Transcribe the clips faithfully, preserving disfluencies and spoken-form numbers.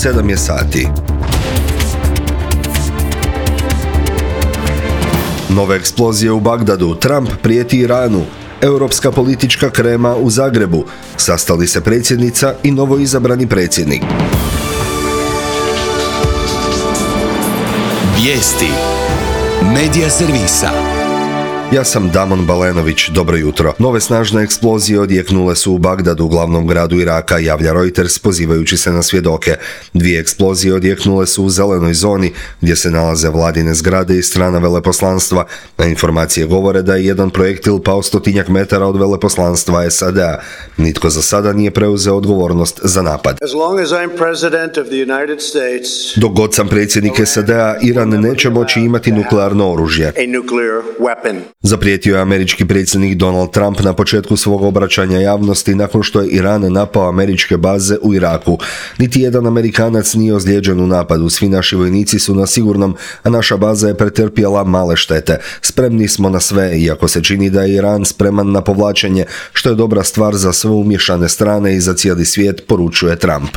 sedam je sati. Nove eksplozije u Bagdadu, Trump prijeti Iranu, europska politička krema u Zagrebu, sastali se predsjednica i novoizabrani predsjednik. Vijesti Medija servisa. Ja sam Damon Balenović, dobro jutro. Nove snažne eksplozije odjeknule su u Bagdadu, glavnom gradu Iraka, javlja Reuters pozivajući se na svjedoke. Dvije eksplozije odjeknule su u zelenoj zoni gdje se nalaze vladine zgrade i strana veleposlanstva, a informacije govore da je jedan projektil pao stotinjak metara od veleposlanstva S A D-a. Nitko za sada nije preuzeo odgovornost za napad. Dok god sam predsjednik S A D-a, Iran neće moći imati nuklearno oružje. Zaprijetio je američki predsjednik Donald Trump na početku svog obraćanja javnosti nakon što je Iran napao američke baze u Iraku. Niti jedan Amerikanac nije ozlijeđen u napadu, svi naši vojnici su na sigurnom, a naša baza je pretrpjela male štete. Spremni smo na sve, iako se čini da je Iran spreman na povlačenje, što je dobra stvar za sve umiješane strane i za cijeli svijet, poručuje Trump.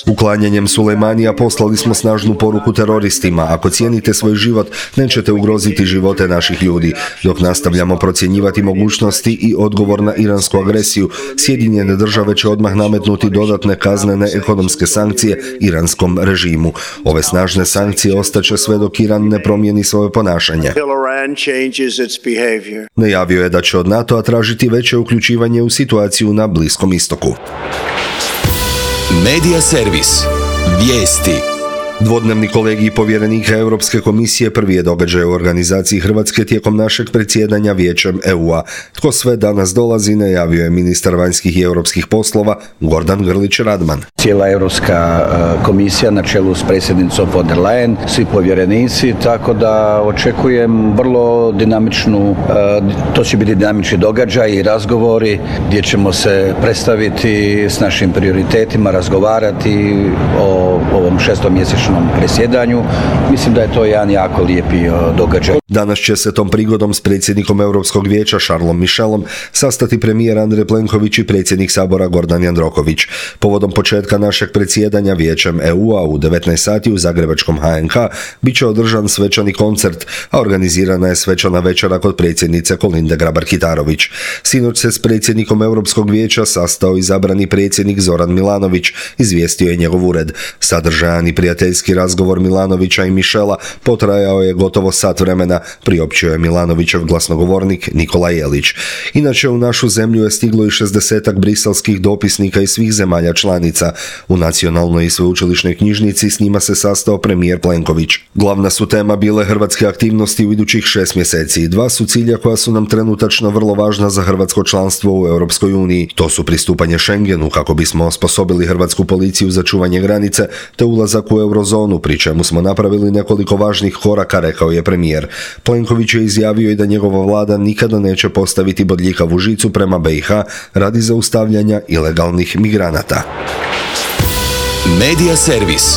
Uklanjanjem Sulejmanija poslali smo snažnu poruku teroristima. Ako cijenite svoj život, nećete ugroziti živote naših ljudi. Dok nastavljamo procjenjivati mogućnosti i odgovor na iransku agresiju, Sjedinjene države će odmah nametnuti dodatne kaznene ekonomske sankcije iranskom režimu. Ove snažne sankcije ostaće sve dok Iran ne promijeni svoje ponašanje. Najavio je da će od NATO-a tražiti veće uključivanje u situaciju na Bliskom istoku. Medija servis. Vijesti. Dvodnevni kolegij povjerenika Europske komisije prvi je događaj u organizaciji Hrvatske tijekom našeg predsjedanja Vijećem E U-a. Tko sve danas dolazi, najavio je ministar vanjskih i europskih poslova Gordan Grlić Radman. Cijela Europska komisija na čelu s predsjednicom von der Leyen, svi povjerenici, tako da očekujem vrlo dinamičnu, to će biti dinamični događaj i razgovori gdje ćemo se predstaviti s našim prioritetima, razgovarati o ovom šestomjesečnom presjedanju. Mislim da je to jedan jako lijepi događaj. Danas će se tom prigodom s predsjednikom Europskog vijeća Charlesom Michelom sastati premijer Andrej Plenković i predsjednik Sabora Gordan Jandroković. Povodom početka našeg predsjedanja Vijećem E U-a u devetnaest sati u zagrebačkom H N K bit će održan svečani koncert, a organizirana je svečana večera kod predsjednice Kolinde Grabar-Kitarović. Sinoć se s predsjednikom Europskog vijeća sastao izabrani predsjednik Zoran Milanović, izvijestio je njegov ured. Sadržajan i prijateljski razgovor Milanovića i Michela potrajao je gotovo sat vremena, priopćio je Milanovićev glasnogovornik Nikola Jelić. Inače, u našu zemlju je stiglo i šezdesetak briselskih dopisnika iz svih zemalja članica. U nacionalnoj i sveučilišnoj knjižnici s njima se sastao premijer Plenković. Glavna su tema bile hrvatske aktivnosti u idućih šest mjeseci. Dva su cilja koja su nam trenutačno vrlo važna za hrvatsko članstvo u Europskoj uniji. To su pristupanje Schengenu kako bismo osposobili hrvatsku policiju za čuvanje granice, te ulazak u eurozonu, pri čemu smo napravili nekoliko važnih koraka, rekao je premijer. Plenković je izjavio i da njegova vlada nikada neće postaviti bodljikavu žicu prema B i H radi zaustavljanja ilegalnih migranata. Medija servis.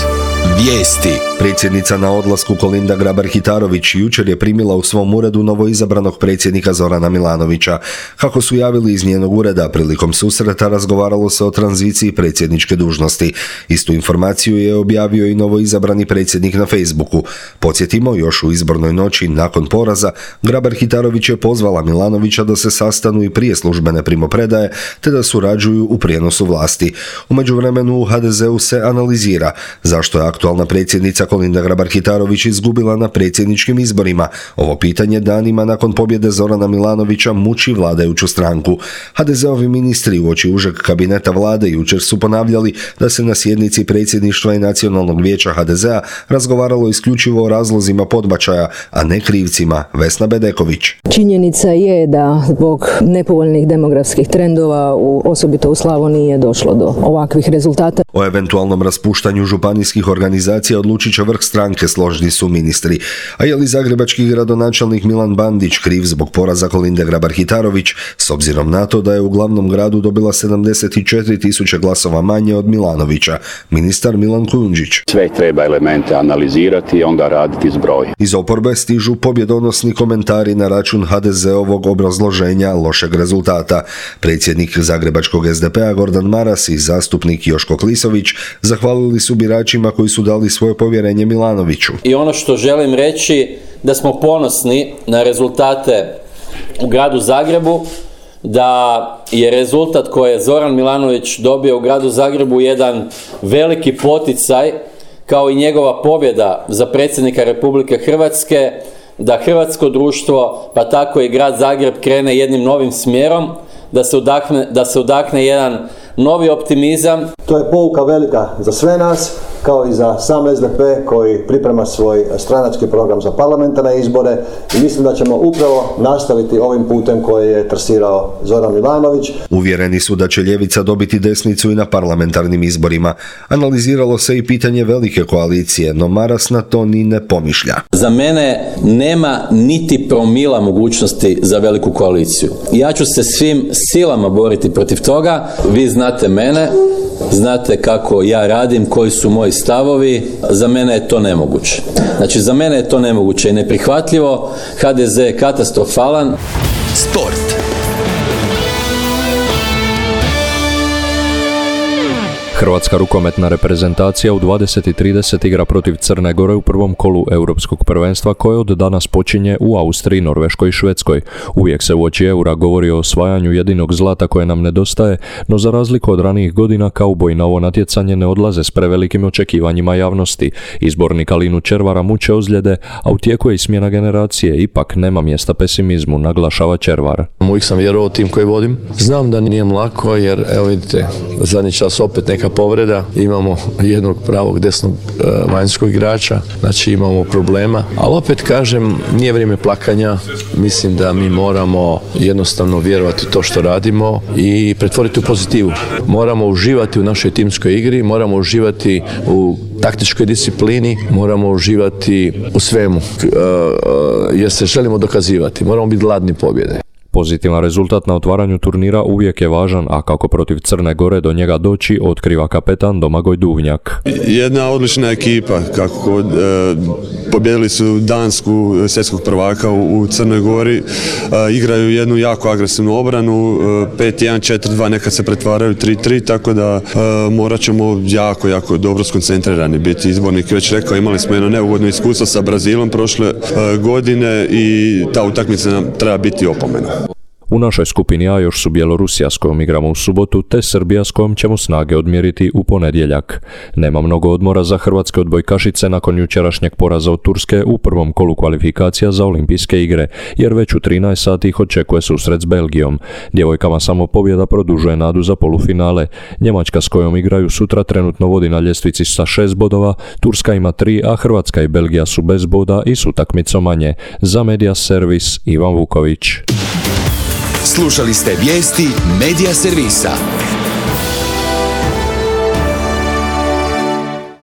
Vijesti. Predsjednica na odlasku Kolinda Grabar-Kitarović jučer je primila u svom uredu novoizabranog predsjednika Zorana Milanovića. Kako su javili iz njenog ureda, prilikom susreta razgovaralo se o tranziciji predsjedničke dužnosti. Istu informaciju je objavio i novoizabrani predsjednik na Facebooku. Podsjetimo, još u izbornoj noći nakon poraza, Grabar-Kitarović je pozvala Milanovića da se sastanu i prije službene primopredaje, te da surađuju u prijenosu vlasti. U međuvremenu u H D Z-u se analizira zašto je aktualna predsjednica Kolinda Grabar-Kitarović izgubila na predsjedničkim izborima. Ovo pitanje danima nakon pobjede Zorana Milanovića muči vladajuću stranku. H D Z-ovi ministri uoči užeg kabineta vlade jučer su ponavljali da se na sjednici predsjedništva i nacionalnog vijeća H D Z-a razgovaralo isključivo o razlozima podbačaja, a ne krivcima. Vesna Bedeković. Činjenica je da zbog nepovoljnih demografskih trendova, u, osobito u Slavoniji, je došlo do ovakvih rezultata. O eventualnom raspuštanju županijskih organizacija odlučit će vrh stranke, složni su ministri. A je li zagrebački gradonačelnik Milan Bandić kriv zbog poraza Kolinde Grabar-Kitarović, s obzirom na to da je u glavnom gradu dobila sedamdeset četiri tisuće glasova manje od Milanovića? Ministar Milan Kujundžić. Sve treba elemente analizirati i onda raditi zbroj. Iz oporbe stižu pobjedonosni komentari na račun ha de zeovog obrazloženja lošeg rezultata. Predsjednik zagrebačkog es de pe a Gordan Maras i zastupnik Joško Klisović zahvalili su biračima koji su dali svoje povjerenje Milanoviću. I ono što želim reći, da smo ponosni na rezultate u gradu Zagrebu, da je rezultat koji je Zoran Milanović dobio u gradu Zagrebu jedan veliki poticaj, kao i njegova pobjeda za predsjednika Republike Hrvatske, da hrvatsko društvo, pa tako i grad Zagreb, krene jednim novim smjerom, da se udahne, da se udahne jedan novi optimizam. To je pouka velika za sve nas, kao i za sam es de pe koji priprema svoj stranački program za parlamentarne izbore, i mislim da ćemo upravo nastaviti ovim putem koji je trasirao Zoran Milanović. Uvjereni su da će ljevica dobiti desnicu i na parlamentarnim izborima. Analiziralo se i pitanje velike koalicije, no Maras na to ni ne pomišlja. Za mene nema niti promila mogućnosti za veliku koaliciju. Ja ću se svim silama boriti protiv toga. Vi znate mene, znate kako ja radim, koji su moji stavovi. Za mene je to nemoguće. Znači, za mene je to nemoguće i neprihvatljivo. ha de ze je katastrofalan. Sport. Hrvatska rukometna reprezentacija u dvadeset i trideset igra protiv Crne Gore u prvom kolu europskog prvenstva koje od danas počinje u Austriji, Norveškoj i Švedskoj. Uvijek se uoči eura govori o osvajanju jedinog zlata koje nam nedostaje, no za razliku od ranijih godina kauboji na ovo natjecanje ne odlaze s prevelikim očekivanjima javnosti. Izbornika Linu Červara muče ozljede, a u tijeku je i smjena generacije, ipak nema mjesta pesimizmu, naglašava Červar. Uvijek sam vjerovao tim koji vodim. Znam da nije lako jer, evo vidite, zadnji čas opet neka povreda, imamo jednog pravog desnog e, vanjskog igrača, znači imamo problema, ali opet kažem, nije vrijeme plakanja, mislim da mi moramo jednostavno vjerovati u to što radimo i pretvoriti u pozitivu. Moramo uživati u našoj timskoj igri, moramo uživati u taktičkoj disciplini, moramo uživati u svemu, e, e, jer se želimo dokazivati, moramo biti gladni pobjede. Pozitivan rezultat na otvaranju turnira uvijek je važan, a kako protiv Crne Gore do njega doći, otkriva kapetan Domagoj Duvnjak. Jedna odlična ekipa, kako e, pobjedili su Dansku, svjetskog prvaka u, u Crnoj Gori, e, igraju jednu jako agresivnu obranu, e, pet jedan četiri dva, nekad se pretvaraju tri tri, tako da e, morat ćemo jako, jako dobro skoncentrirani biti. Izbornik već rekao, imali smo jedno neugodno iskustvo sa Brazilom prošle e, godine i ta utakmica nam treba biti opomena. U našoj skupini A još su Bjelorusija s kojom igramo u subotu, te Srbija s kojom ćemo snage odmjeriti u ponedjeljak. Nema mnogo odmora za hrvatske odbojkašice nakon jučerašnjeg poraza od Turske u prvom kolu kvalifikacija za olimpijske igre, jer već u trinaest sati ih očekuje susret s Belgijom. Djevojkama samo pobjeda produžuje nadu za polufinale. Njemačka s kojom igraju sutra trenutno vodi na ljestvici sa šest bodova, Turska ima tri, a Hrvatska i Belgija su bez boda i s utakmicom manje. Za Media Servis Ivan Vuković. Slušali ste vijesti Media Servisa.